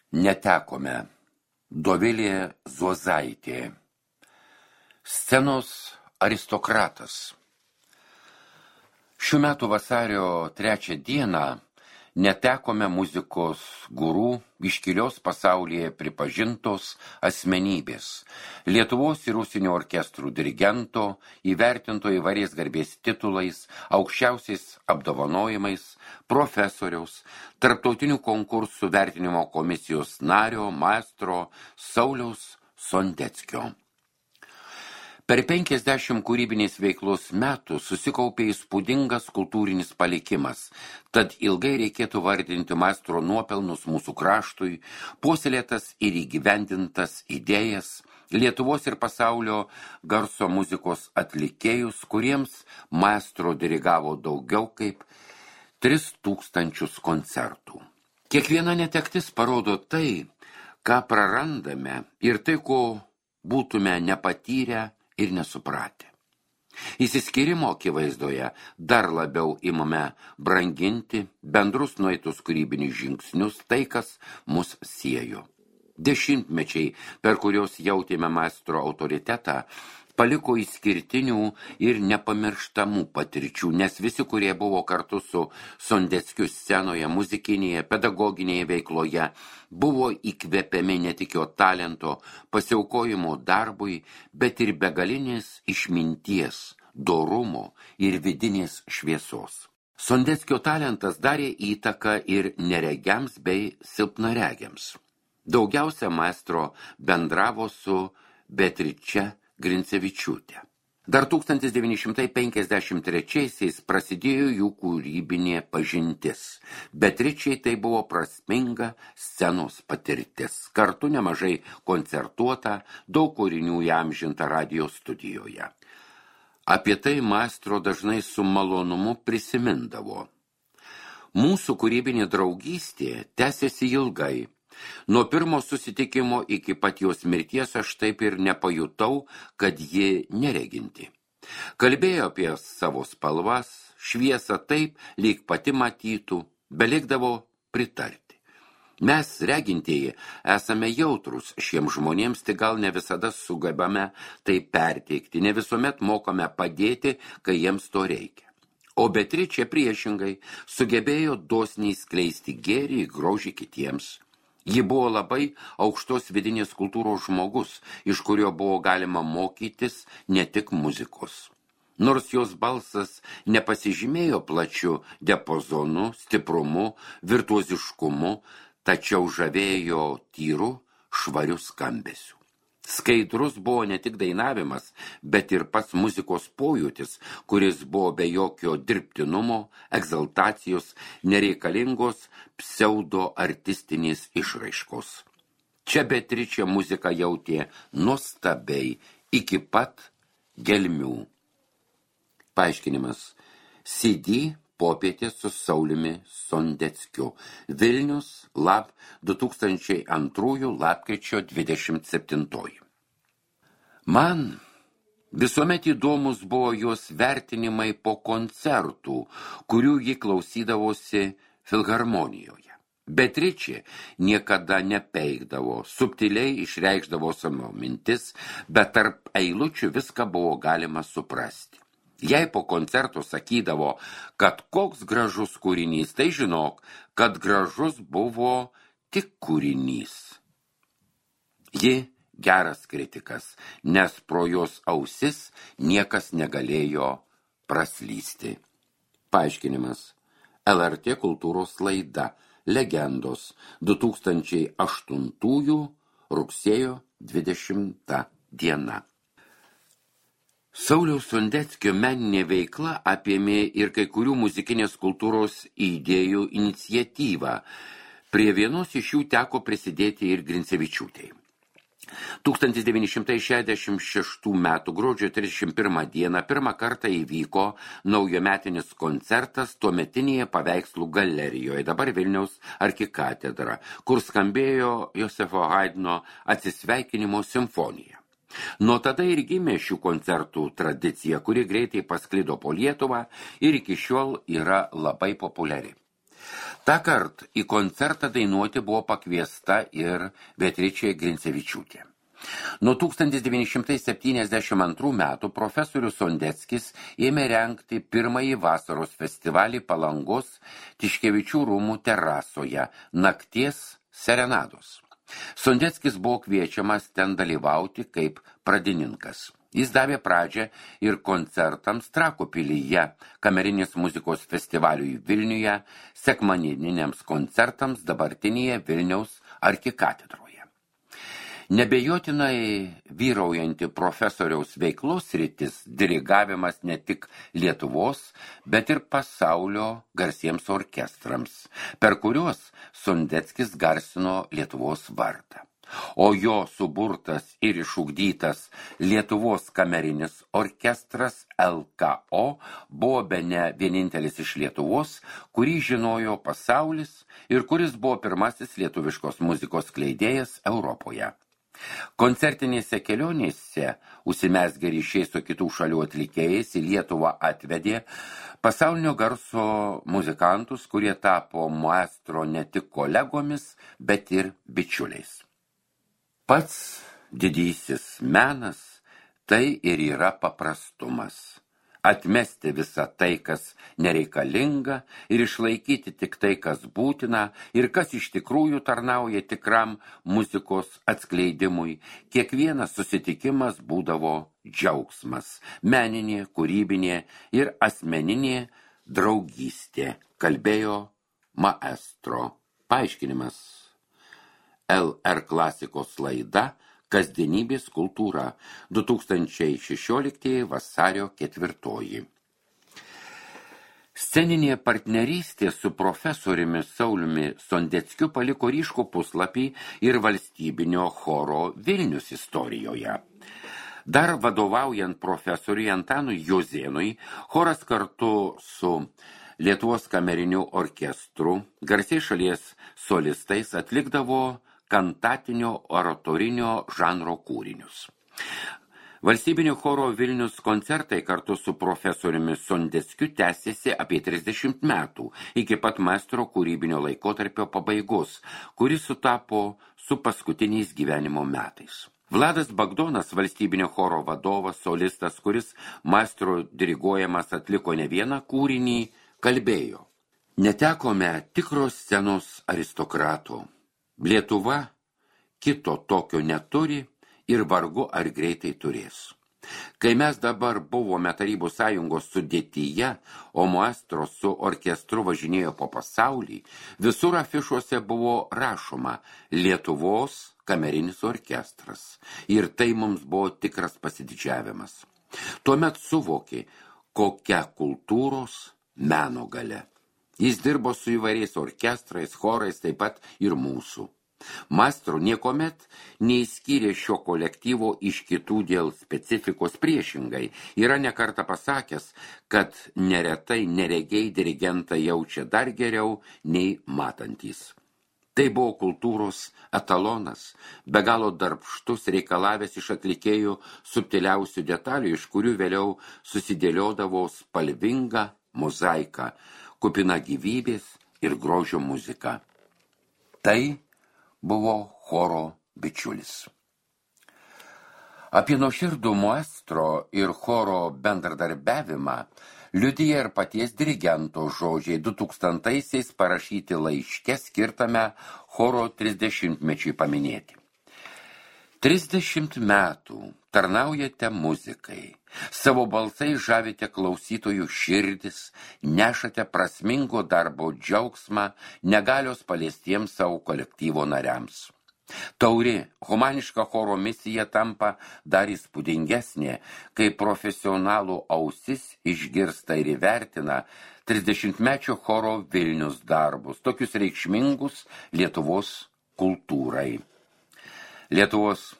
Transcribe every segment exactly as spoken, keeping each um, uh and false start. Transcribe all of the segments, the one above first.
Netekome. Dovilė Zuozaitė. Scenos aristokratas. Šių metų vasario trečią dieną netekome muzikos gurų, iškilios pasaulyje pripažintos asmenybės, Lietuvos ir užsienio orkestrų dirigento, įvertinto įvairiais garbės titulais, aukščiausiais apdovanojimais, profesoriaus, tarptautinių konkursų vertinimo komisijos nario, maestro Sauliaus Sondeckio. Per penkiasdešimt kūrybinės veiklos metų susikaupė įspūdingas kultūrinis palikimas, tad ilgai reikėtų vardinti maestro nuopelnus mūsų kraštui, puoselėtas ir įgyvendintas idėjas, Lietuvos ir pasaulio garso muzikos atlikėjus, kuriems maestro dirigavo daugiau kaip tris tūkstančius koncertų. Kiekviena netektis parodo tai, ką prarandame ir tai, ko būtume nepatyrę ir nesupratę. Įsiskyrimo akivaizdoje dar labiau imame branginti bendrus nueitus kūrybinius žingsnius, tai, kas mus siejo. Dešimtmečiai, per kurios jautėme maestro autoritetą, paliko išskirtinių ir nepamirštamų patirčių, nes visi, kurie buvo kartu su Sondeckiu scenoje, muzikinėje, pedagoginėje veikloje, buvo įkvepiami ne tik jo talento, pasiaukojimo darbui, bet ir begalinės išminties, dorumo ir vidinės šviesos. Sondeckio talentas darė įtaką ir neregiams bei silpnaregiams. Daugiausia maestro bendravo su Beatriče Grincevičiūtė. Dar tūkstantis devyni šimtai penkiasdešimt trečiaisiais prasidėjo jų kūrybinė pažintis. Beatričei tai buvo prasminga scenos patirtis. Kartu nemažai koncertuota, daug kūrinių įamžinta radijo studijoje. Apie tai maestro dažnai su malonumu prisimindavo. Mūsų kūrybinė draugystė tęsėsi ilgai. Nuo pirmo susitikimo iki pat jos mirties aš taip ir nepajutau, kad ji nereginti. Kalbėjo apie savo spalvas, šviesą taip, lyg pati matytų, belikdavo pritarti. Mes, regintieji, esame jautrus šiems žmonėms, tik gal ne visada sugebame tai perteikti, ne visuomet mokame padėti, kai jiems to reikia. O Beatričė priešingai sugebėjo dosniai skleisti gėrį ir grožį kitiems. Ji buvo labai aukštos vidinės kultūros žmogus, iš kurio buvo galima mokytis ne tik muzikos. Nors jos balsas nepasižymėjo plačiu diapazonu, stiprumu, virtuoziškumu, tačiau žavėjo tyru, švariu skambesiu. Skaidrus buvo ne tik dainavimas, bet ir pats muzikos pojūtis, kuris buvo be jokio dirbtinumo, egzaltacijos, nereikalingos pseudo-artistinės išraiškos. Čia Beatričė muziką jautė nuostabiai iki pat gelmių. Paaiškinimas. C D Popietė su Sauliumi Sondeckiu. Vilnius, lab du tūkstančiai antrųjų lapkričio dvidešimt septintoji. Man visuomet įdomus buvo jos vertinimai po koncertų, kurių ji klausydavosi filharmonijoje. Beatričė niekada nepeikdavo, subtiliai išreikšdavo savo mintis, bet tarp eilučių viską buvo galima suprasti. Jei po koncerto sakydavo, kad koks gražus kūrinys, tai žinok, kad gražus buvo tik kūrinys. Ji geras kritikas, nes pro jos ausis niekas negalėjo praslysti. Paaiškinimas. L R T kultūros laida Legendos du tūkstančiai aštuntųjų rugsėjo dvidešimta diena. Sauliaus Sondeckio meninė veikla apėmė ir kai kurių muzikinės kultūros idėjų iniciatyvą. Prie vienos iš jų teko prisidėti ir Grincevičiūtei. tūkstantis devyni šimtai šešiasdešimt šeštų metų gruodžio trisdešimt pirmą dieną pirmą kartą įvyko naujametinis koncertas tuometinėje paveikslų galerijoje, dabar Vilniaus arkikatedra, kur skambėjo Josefo Haidno atsisveikinimo simfonija. Nuo tada ir gimė šių koncertų tradicija, kuri greitai pasklido po Lietuvą ir iki šiol yra labai populiari. Ta kart į koncertą dainuoti buvo pakviesta ir Beatričė Grincevičiūtė. Nuo tūkstantis devyni šimtai septyniasdešimt antrų metų profesorius Sondeckis ėmė rengti pirmąjį vasaros festivalį Palangos Tiškevičių rūmų terasoje Nakties serenados. Sondeckis buvo kviečiamas ten dalyvauti kaip pradininkas. Jis davė pradžią ir koncertams Trakų pilyje, kamerinės muzikos festivaliui Vilniuje, sekmaniniams koncertams dabartinėje Vilniaus arkikatedroje. Nebejotinai vyraujanti profesoriaus veiklos sritis dirigavimas ne tik Lietuvos, bet ir pasaulio garsiems orkestrams, per kuriuos Sondeckis garsino Lietuvos vardą. O jo suburtas ir išugdytas Lietuvos kamerinis orkestras L K O buvo bene vienintelis iš Lietuvos, kurį žinojo pasaulis ir kuris buvo pirmasis lietuviškos muzikos skleidėjas Europoje. Koncertinėse kelionėse užsimezgę ryšiai su kitų šalių atlikėjais į Lietuvą atvedė pasaulinio garso muzikantus, kurie tapo maestro ne tik kolegomis, bet ir bičiuliais. Pats didysis menas tai ir yra paprastumas. Atmesti visą tai, kas nereikalinga, ir išlaikyti tik tai, kas būtina, ir kas iš tikrųjų tarnauja tikram muzikos atskleidimui. Kiekvienas susitikimas būdavo džiaugsmas, meninė, kūrybinė ir asmeninė draugystė, kalbėjo maestro. Paaiškinimas. L R klasikos laida Kasdienybės kultūra, du tūkstančiai šešioliktieji vasario ketvirtoji. Sceninė partnerystė su profesoriumi Sauliumi Sondeckiu paliko ryškų puslapį ir valstybinio choro Vilnius istorijoje. Dar vadovaujant profesoriui Antanui Jozėnui, choras kartu su Lietuvos kameriniu orkestru, garsiai šalies solistais atlikdavo kantatinio oratorinio žanro kūrinius. Valstybinio choro Vilnius koncertai kartu su profesoriumi Sondeckiu tęsėsi apie trisdešimt metų, iki pat maestro kūrybinio laikotarpio pabaigos, kuris sutapo su paskutiniais gyvenimo metais. Vladas Bagdonas, valstybinio choro vadovas, solistas, kuris maestro diriguojamas atliko ne vieną kūrinį, kalbėjo: netekome tikros scenos aristokrato. Lietuva kito tokio neturi ir vargu ar greitai turės. Kai mes dabar buvome Tarybų sąjungos sudėtyje, o maestro su orkestru važinėjo po pasaulį, visur afišuose buvo rašoma Lietuvos kamerinis orkestras. Ir tai mums buvo tikras pasididžiavimas. Tuomet suvokė, kokia kultūros meno galia. Jis dirbo su įvairiais orkestrais, chorais, taip pat ir mūsų. Maestro niekomet neįskyrė šio kolektyvo iš kitų dėl specifikos priešingai. Yra nekartą pasakęs, kad neretai neregiai dirigentą jaučia dar geriau nei matantys. Tai buvo kultūros etalonas, be galo darbštus, reikalavęs iš atlikėjų subtiliausių detalių, iš kurių vėliau susidėliodavo spalvinga mozaika, kupina gyvybės ir grožio muzika. Tai buvo choro bičiulis. Apie nuoširdų maestro ir choro bendradarbiavimą liudija ir paties dirigento žodžiai du tūkstantaisiais parašyti laiške skirtame choro trisdešimtmečiui paminėti. Trisdešimt metų tarnaujate muzikai, savo balsai žavite klausytojų širdis, nešate prasmingo darbo džiaugsmą negalios paliestiems savo kolektyvo nariams. Tauri, humaniška choro misija tampa dar įspūdingesnė, kai profesionalų ausis išgirsta ir įvertina trisdešimtmečio choro Vilnius darbus, tokius reikšmingus Lietuvos kultūrai. Lietuvos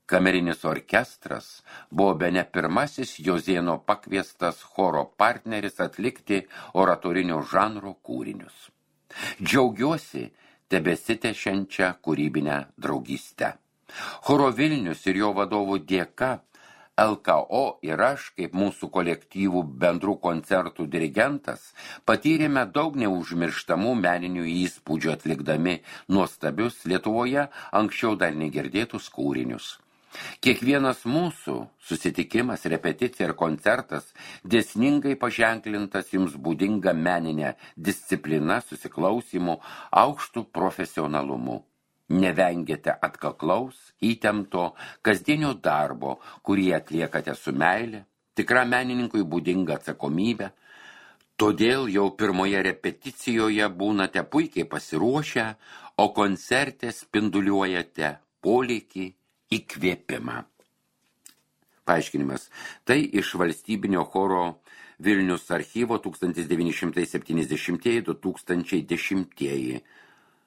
kamerinis orkestras buvo bene pirmasis Jozėno pakviestas choro partneris atlikti oratorinio žanro kūrinius. Džiaugiuosi tebesitešiančią kūrybinę draugystę. Choro Vilnius ir jo vadovų dėka L K O ir aš, kaip mūsų kolektyvų bendrų koncertų dirigentas, patyrėme daug neužmirštamų meninių įspūdžių atlikdami nuostabius Lietuvoje anksčiau dar negirdėtus kūrinius. Kiekvienas mūsų susitikimas, repeticija ir koncertas dėsningai paženklintas jums būdinga meninė disciplina, susiklausimu, aukštu profesionalumu. Nevengėte atkaklaus, įtempto, kasdienio darbo, kurį atliekate su meile, tikra menininkui būdinga atsakomybė. Todėl jau pirmoje repeticijoje būnate puikiai pasiruošę, o koncerte spinduliuojate polėkį, įkvėpimą. Paaiškinimas. Tai iš valstybinio choro Vilnius archyvo tūkstantis devyni šimtai septyniasdešimtieji - du tūkstančiai dešimtieji.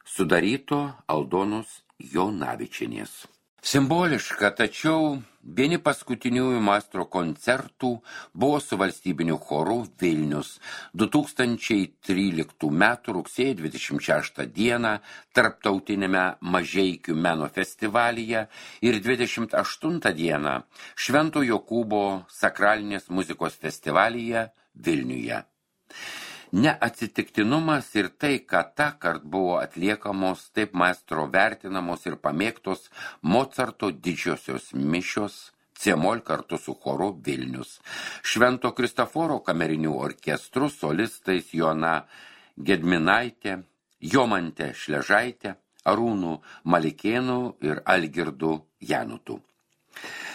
Sudaryto Aldonos Jonavičienės. Simboliška, tačiau vieni paskutiniųjų maestro koncertų buvo su valstybiniu choru Vilnius du tūkstančiai tryliktų metų rugsėjo dvidešimt šeštą dieną tarptautinėme Mažeikių meno festivalyje ir dvidešimt aštuntą dieną Švento Jokūbo sakralinės muzikos festivalyje Vilniuje. Neatsitiktinumas ir tai, kad tą kart buvo atliekamos taip maestro vertinamos ir pamėgtos Mocarto didžiosios mišios C-mol kartu su choru Vilnius. Švento Kristoforo kamerinių orkestrų solistais Joana Gedminaitė, Jomantė Šležaitė, Arūnų Malikėnų ir Algirdu Janutu.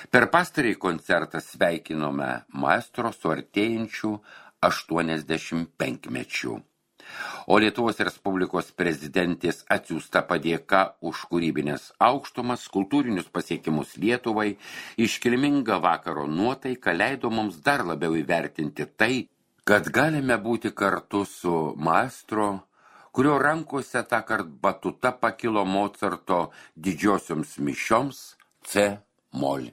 Per pastarąjį koncertą sveikinome maestro su artėjančiu aštuoniasdešimt penkmečių. O Lietuvos Respublikos prezidentės atsiųsta padėka už kūrybinės aukštumas, kultūrinius pasiekimus Lietuvai, iškilminga vakaro nuotaika leido mums dar labiau įvertinti tai, kad galime būti kartu su maestro, kurio rankose tąkart batuta pakilo Mocarto didžiosioms mišioms C-mol.